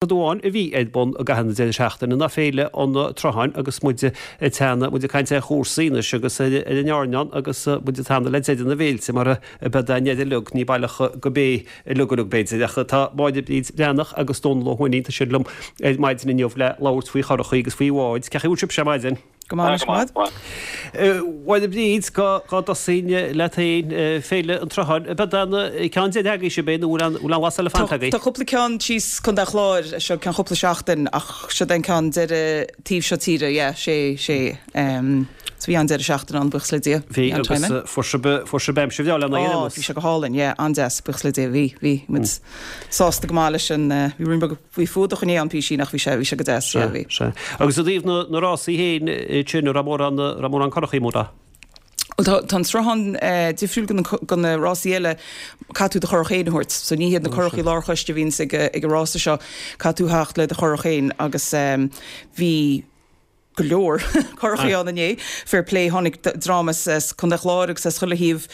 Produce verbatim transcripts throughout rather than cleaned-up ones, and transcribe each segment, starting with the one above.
Rud amháin a bhí ar bun i gcaitheamh na deireadh seachtaine ná Féile an tSrutháin agus muid ag teannadh, muid ag caint ar chúrsaí anois agus ar an airneán agus muid ag teannadh le deireadh na bhféilte mar a bheadh an deireadh uilig, ní baileach go bé uilig uilig b'fhéidir ach tá Máire Bríd Bhreathnach agus Dónal Ó hUaithnín, tá siad liom ar maidin inniu le labhairt faoi churachaí agus faoi bháid. Cén chaoi a bhfuil sibhse ar maidin? Go maith, go maith. Mháire Bríd, dhá dtosóinn leat féin, Féile an tSrutháin, ab é an ceann deiridh agaibh sibh é nó bhfuil aon lá eile fanta agaibh? Tá cúpla ceann síos Contae an Chláir, seo ceann cúpla seachtain ach siod é an ceann deiridh taobh seo tíre, yeah, sé, sé. So bhí an-deireadh seachtaine ann, buíochas le Dia. Bhí agus fuair sibh, fuair sibh aimsir bhreá lena aghaidh Ó, bhí sé go hálainn, yeah, an-deas, buíochas le Dia, bhí, bhí muid sásta go maith leis an, bhí ruainne beag Bhí fuadach inné ann písín ach bhí sé, bhí sé go deas, yeah, bhí. Sea, sea. Agus i dtaobh na, na rásaí féin, sin, an raibh mórán, raibh mórán curachaí móra? Bhuel tá, tá an sruthán eh, difriúil go na, go na rásaí eile, caithfidh tú do churach féin a thabhairt. So ní hiad na curachaí lárchoiste a bhíonns ag, ag an rása seo, caithfidh tú theacht le do churach féin agus eh, bhí, go leor curachaí ann inné. Fair play, tháinig dream as Contae an Chláir agus as chuile thaobh.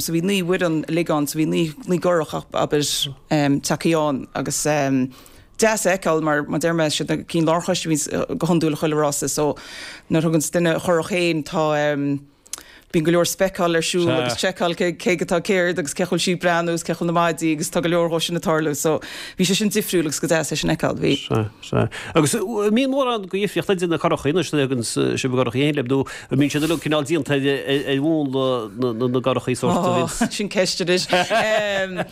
So bhí naoi bhfoireann uilig ann, so bhí naoi naoi gcurach abair tagthaí ann agus deas a fheiceáil mar mar deir mé siad na cinn lárchoiste a bhíonns go hiondúil chuile rása so nuair a thuganns duine a churach féin tá Bíonn go leor speiceáil ar siúl agus seiceáil cé cé atá céard agus cé chuil sí ag breathnú agus cé chuil na maidí agus tá go leor dhó sin ag tarlú so bhí sé sin difriúil agus go deas é sin a fheiceáil. Bhí. Sea, sea. Agus an mbíonn mórán de dhifríocht idir na curachaí anois nuair a thagann sibh a gcurachaí féin libh nó an mbíonn siad uilig cineál déanta ar ar mhúnla na na gcurachaí sórt a bhíonns. Sin ceist anois. An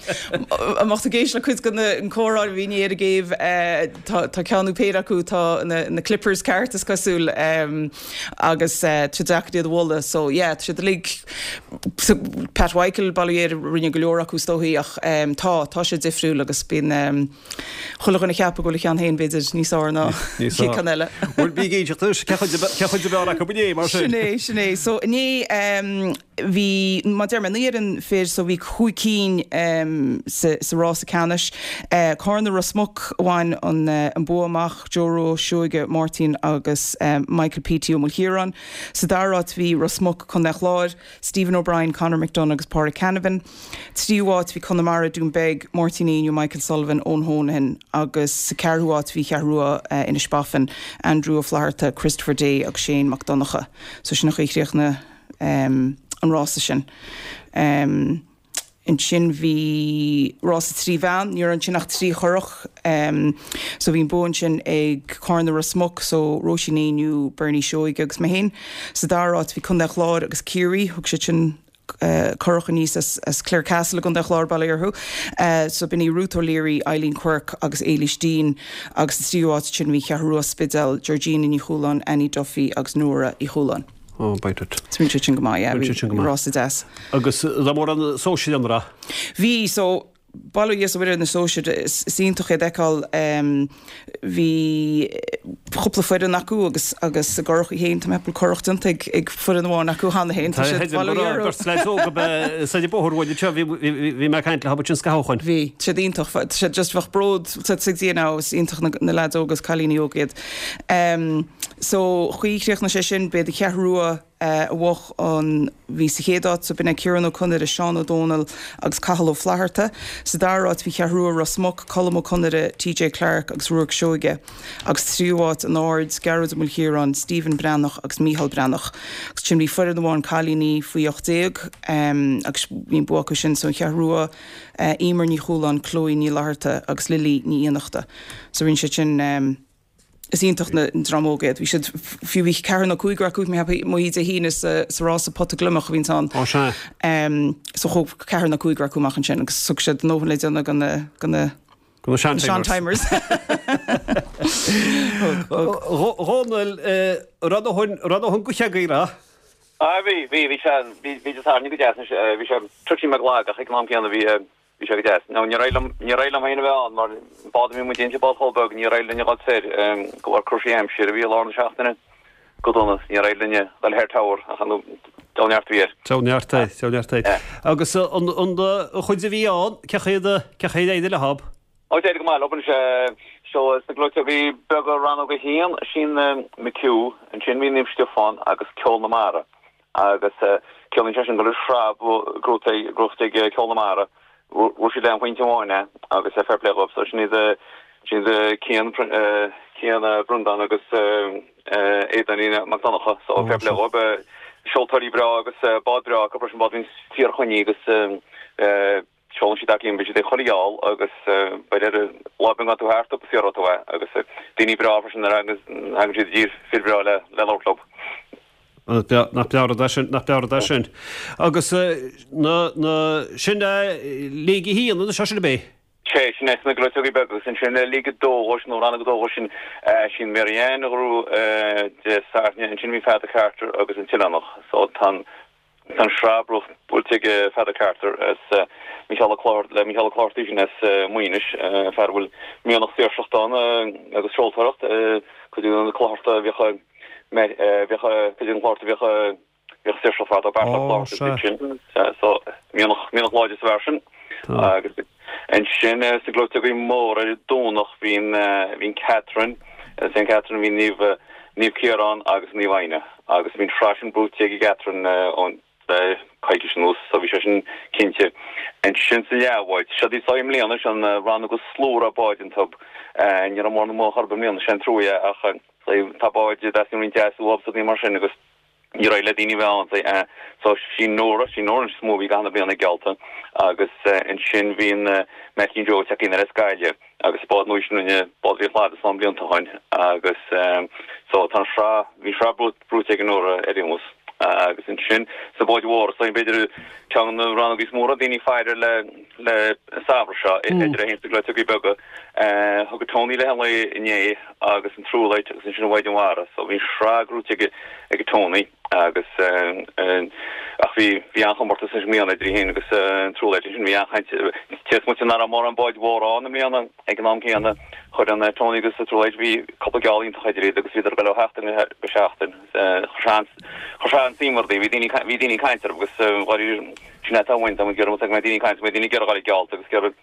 mbeadh tú ag éisteacht le cuid de na an comhrá a bhí inné ar an gcéibh tá tá ceann nó péire acu atá na na clippers ceart is cosúil. Agus tá sé deacair iad a mholadh so yeah tá siad uilig so Pat Mhichael bail ó Dhia air a rinne go leor acu is dóichí ach tá tá sé difriúil agus bíonn chuile dhuine ag ceapadh go bhfuil a cheann féin b'fhéidir níos fearr ná Níos fearr. ceann eile. Bhuel bí ag éisteacht anois cé chuid cé chuid ab fhearr acu inné mar sin? Sin é sin é so inné bhí mar deir mé naoi bhfoireann fir so bhí cúig cinn sa sa rása ceannais. Cárna Ros Muc a bhain an an bua amach. Joe Rua Seoige, Máirtín agus Michael P T Ó Maoilchiaráin. Sa dara háit bhí Ros Muc, Contae an Chláir, Stephen O'Brien, Conor McDonagh agus Pádraig Canavan. Tríú háit bhí Conamara, Dún Beag, Máirtín Éinniú, Michael Sullivan, Eoin Honohan agus sa ceathrú háit bhí Cheathrú Rua, Inis Baffin, Andrew Ó Flatharta, Christopher Day agus Shane Mac Donncha. So sin an chaoi a chríochnaigh an rása sin. Ansin bhí rása trí bhean, ní raibh ansin ach trí churach. So bhí an bua ansin ag Cárna Ros Muc, so Róisín Éinniú, Bernie Seoige agus mé féin. Sa dara háit bhí Contae an Chláir agus Ciarraí, thug siad sin curach aníos as as Clarecastle i gContae an Chláir, bail ó Dhia orthu. So b'in í Ruth O'Leary, Eileen Quirke agus Éilís Deane agus sa tríú háit ansin bhí Cheathrú Rua Spidéal, Georgina Ní Chualáin, Annie Duffy agus Nóra Uí Chualáin. Ó, beidh duit. So bhí sé sin go maith, yeah, Bhí sé sin go maith. Rása deas. Agus raibh mórán sóisir ann, raibh? Bhí, so, bail ó Dhia is ó Mhuire ar na sóisir, is iontach iad a fheiceáil. Bhí cúpla foireann acu agus agus a gcurachaí féin, tá mé ag ceapadh go bhfuil curach déanta ag ag foireann amháin acu cheana féin, tá Tá, siad, bail ó Dhia orthu. Beirt leaids óga ab ea soir an bóthar uainn anseo, bhí bhí mé ag caint leo ansin scaitheamh ó shoin. Bhí, tá siad iontach, tá siad just, bheadh bród sa Dia now, is iontach na na leaids óga is cailíní óga iad. So, chaoi chríochnaigh sé sin, b'iad an Cheathrú Rua a bhuaigh an, bhí sa chéad áit, so b'in é Ciarán Ó Conaire, Seán Ó Dónaill agus Cathal Ó Flatharta. Sa dara háit bhí Cheathrú Rua Ros Muc, Colm Ó Conaire, T J Clarke agus Ruairc Seoige. Agus tríú háit, An Aird, Gearóid Ó Maoilchiaráin, Stephen Breathnach agus Mícheál Breathnach. Agus ansin bhí foireann amháin cailíní faoi ocht déag agus bhí an bua acu sin, so an Cheathrú Rua, Emer Ní Chualáin, Chloe Ní Fhlatharta agus Lily Ní Fhiannachta. So rinne siad sin. Is iontach na an dream óg iad. Bhí siad, fiú bhí ceathrar nó cúigear acu mé cheapadh amuigh Dé hAoine sa sa rása pota gliomach a bhíonns ann. Ó sea. So chuaigh ceathrar nó cúigear acu amach ansin agus thug siad a ndóthain le déanamh go na go na Go na sean-timers. sean-timers. Thug, thug. A Dhónaill, raibh a ndóthain, raibh a ndóthain gaoithe agaibh, raibh? Ah bhí, bhí, bhí sé, bhí, bhí Dé Sathairn go deas anois, bhí sé toitín beag lag ach ag an am céanna bhí, Bhí sé go deas. Now níor éirigh liom, níor éirigh liom féin a bheith ann mar an bád a bhí muid inti, bád chomh beag, níor éirigh linn a dhul soir de bharr cúrsaí aimsire a bhí i lár na seachtaine go dona. Níor éirigh linn a dhul thoir Tower ach an deabhal neart a bhí air. Deabhal neart é, deabhal neart é. Agus an, an chuid a bhí ann, cé chaoi a, cé chaoi ar éirigh leob? Ó d'éirigh go maith leo anois. Seo sna gleoiteogaí beaga rannóg a haon, sin McHugh, ansin bhí Naomh Stiofán agus Ceol na Mara. Agus ciallaíonn sé sin go raibh sraith gnóthaithe ag Ceol na Mara. Bhuaigh siad aon phointe amháin é agus fair play dhóibh. So sin iad Sin Cian Cian Brundán agus Aodáinín Mac Donncha so fair play dhóibh seoltóirí breá agus bád breá acu freisin bád fíorchoinnithe agus seolann siad aclaí beidh siad ag chuile gheall agus beidh ar lá beag gan tú thart agus iarraidh tú é agus daoine breá freisin ar agus thagann siad i dtír fir breá le le labhairt leo. Nach breá rud é sin, nach breá rud é sin. Agus na na sin Léig a haon anois sin ab é? Sé, sin é sna gleoiteogaí beaga agus ansin Léig a dó dhó sin nó rannóg a dó dhó sin sin Mary Ann a ghnóthaigh Dé Sathairn ansin bhí Peadar Carter agus an tOileánach so tá an tá an sraith buailte ag Peadar Carter as Mícheál Ó Clochartaigh le Mícheál Ó Clochartaigh sin as Muínis fear a bhfuil mianach saoirseachta ann agus seoltóireacht cuid de na Clochartaigh a bhíodh bhíodh cuid de na Clochartaigh a bhíodh Bhíodh saoirseacht fada Beartla Ó, sea. sin. So, mianach, mianach láidir sa bhfear sin. Tá. Agus ansin sna gleoiteogaí móra ar an Domhnach bhí an, bhí an Catherine, Saint Catherine, bhí Naomh, Naomh Ciarán agus Naomh Éanna. Agus bhí an tsraith sin buaite ag an gCatherine ón, le coicís anuas, so bhí sé sin cinnte. Ansin sa leathbhád, seo í seo i mbliana, sin an rannóg is lú a raibh báid iontu. Ní raibh mórán amuigh chor ar bith i mbliana, sin trua é ach tá báid, dteastaíonn roinnt deas uathu is rudaí mar sin agus, Ní raibh le daoine bheith ann. So sí Nóra, sí Nóra is mó a bhí gach aon bhliain ag geallta agus ansin bhí an Maidhcín Joe ag teacht in ar as Gaillimh agus bád nua sin rinne bád bhí Chladaigh slán blianta ó shoin agus so tá an sraith, bhí an sraith buaite ag Nóra ar aon nós agus ansin sna báid mhóra so b'fhéidir ceann de na rannógaí is mó a raibh daoine ag faire le le an samhradh seo idir é féin is na gleoiteogaí beaga. Thug Tony léi an lae inné agus an Truelight agus ansin an Mhaighdean Mhara so bhí an sraith gnóthaithe ag ag Tony agus ach bhí bhí an-chomórtas anois i mbliana idir í féin agus an Truelight ansin bhí an-chaint cé is moite nach raibh mórán báid mhóra ann i mbliana ag an am céanna chuir an Tony agus an Truelight bhí cúpla geall iontach idir iad agus bhíodar ag dul ó sheachtain go seachtain chuir sé an chuir sé an-suim orthu bhí daoine bhí daoine ag caint orthu agus dháiríre sin é atá uainn tá muid ag iarraidh go mbeidh daoine ag caint go mbeidh daoine ag iarraidh a dhul ag geallta agus ag iarraidh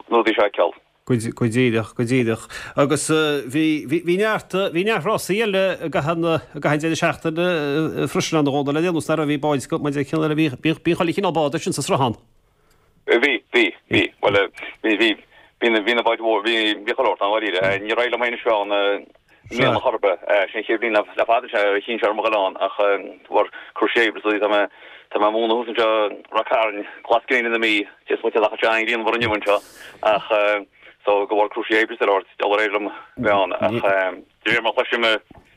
na rudaí seo a fheiceáil. Go díreach, go díreach. Agus bhí, bhí, bhí neart, bhí neart rásaí eile i gcaitheamh na, i gcaitheamh an deireadh seachtaine freisin ann a Dhónaill le déanamh, nach raibh, bhí báid, maidir le cineál eile, bhí, bhí, bhí chuile chineál bád ansin sa sruthán. Bhí, bhí, bhí. Bhuel, bhí, bhí, bhí na, bhí na báid mhóra, bhí, bhí chuile shórt ann, dháiríre. Níor éirigh liom féin a bheith ann i mbliana chor ar bith. Sin an chéad bhliain le fada sé a chinn sé orm a dhul ann ach de bharr cúrsaí oibre so tá mé tá mé ag múineadh thuas anseo i Ráth Cairn, glas gréine na Mí, cé is moite nach bhfuil sé an-ghrianmhar inniu anseo ach so de bharr cúrsaí oibre is eile níor éirigh liom bheith ann ach de réir mar a chloisim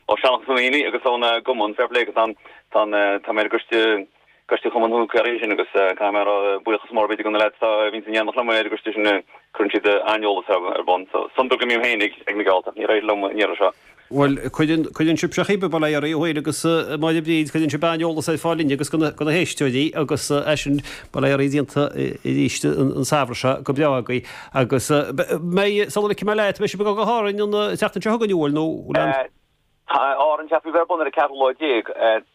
ó sheanchas na ndaoine agus ón gcumann fair play agus tá an tá an tá mé ar an gcoiste Coiste Chumann Dhún Caoraí sin agus caithfidh mé a rá buíochas mór b'fhéidir do na leaids a bhíonns in éineacht liom ar an gcoiste sin cuireann siad an-eolas ar bun so sonder go mbím féin ag ag na geallta níor éirigh liom an iarraidh seo. Bhuel cuireann cuireann sibhse cibé bail ó Dhia oraibh féin agus Máire Bríd cuireann sibh an-eolas ar fáil linne agus do na do na héisteoirí agus é sin bail ó Dhia oraibh déanta arís an an samhradh seo go breá agaibh agus mbeidh sula ligfidh mé leat beidh sibh ag dul go hÁrainn an tseachtain seo chugainn an bhfuil nó bhfuil an Tá Árainn ceaptha a bheith ar bun ar an ceathrú lá déag.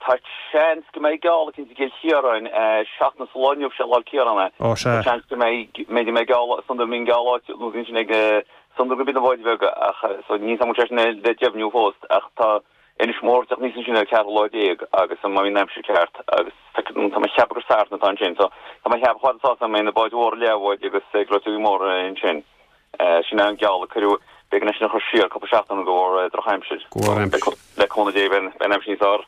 Tá seans go mbeidh geall eicínt i gCill Chiaráin seachtain sa lá inniu, sé Lá 'le Ciarán é. Ó, sea. Tá seans go mbeidh, go mbeidh geall, is iondúil go mbíonn geall áit nó ansin ag, is iondúil go mbíonn na báid bheaga ach so níl 's agam an bhfuil sé sin le deimhniú fós ach tá Inis Mór ag teacht aníos ansin ar an ceathrú lá déag agus má bhíonn an aimsir ceart agus tá mé ag ceapadh gur Satharn atá ansin so tá mé ag ceapadh chomh fada is atá mbeidh na báid mhóra leathbháid agus gleoiteogaí móra ansin. Sin é an geall a cuireadh. B'éigean é sin a chur siar cúpla seachtain de bharr drochaimsir. De bharr aimsir. Le cúnamh Dé beidh an aimsir níos fearr.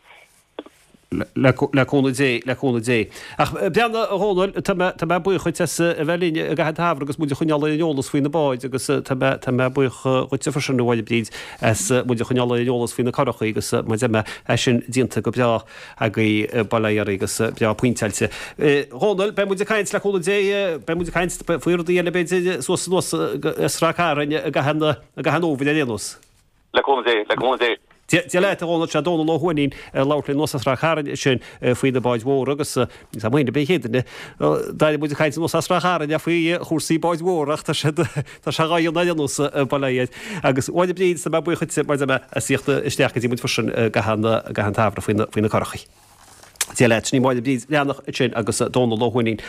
Le cúnamh Dé, le cúnamh Dé. Ach breathnaigh, a Dhónaill, tá mé, tá mé buíoch dhuit as a bheith linn i gcaitheamh an tsamhraidh agus muid a choinneáil ar an eolas faoi na báid agus tá mé, tá mé buíoch dhuitse freisin, a Mháire Bríd, as muid a choinneáil ar an eolas faoi na curachaí agus mar a deir mé, é sin déanta go breá agaibh, bail ó Dhia oraibh agus breá pointeáilte. Dhónaill, beidh muid ag caint, le cúnamh Dé, beidh muid ag caint faoi rudaí eile b'fhéidir suas anuas as Ráth Cairn i gcaitheamh na, i gcaitheamh an fhómhair ar aon nós. Le cúnamh Dé, le cúnamh Dé. Dia leat, a Dhónaill, sé Dónall Ó hUaithnín ag labhairt linn anuas as Ráth Cairn ansin faoi na báid mhóra agus tá muid b'é an chéad duine d'airigh muid ag caint anuas as Ráth Cairn faoi chúrsaí báid mhóra ach tá sé tá sé dhá dhéanamh ar aon nós, bail ó Dhia air. Agus a Mháire Bríd, tá mé buíoch dhuitse mar a deir mé as theacht isteach go dtí muid freisin i gcaitheamh an i gcaitheamh an tsamhraidh faoi na faoi na curachaí. Dia leat, sin í Máire Bríd Bhreathnach ansin agus Dónall Ó hUaithnín.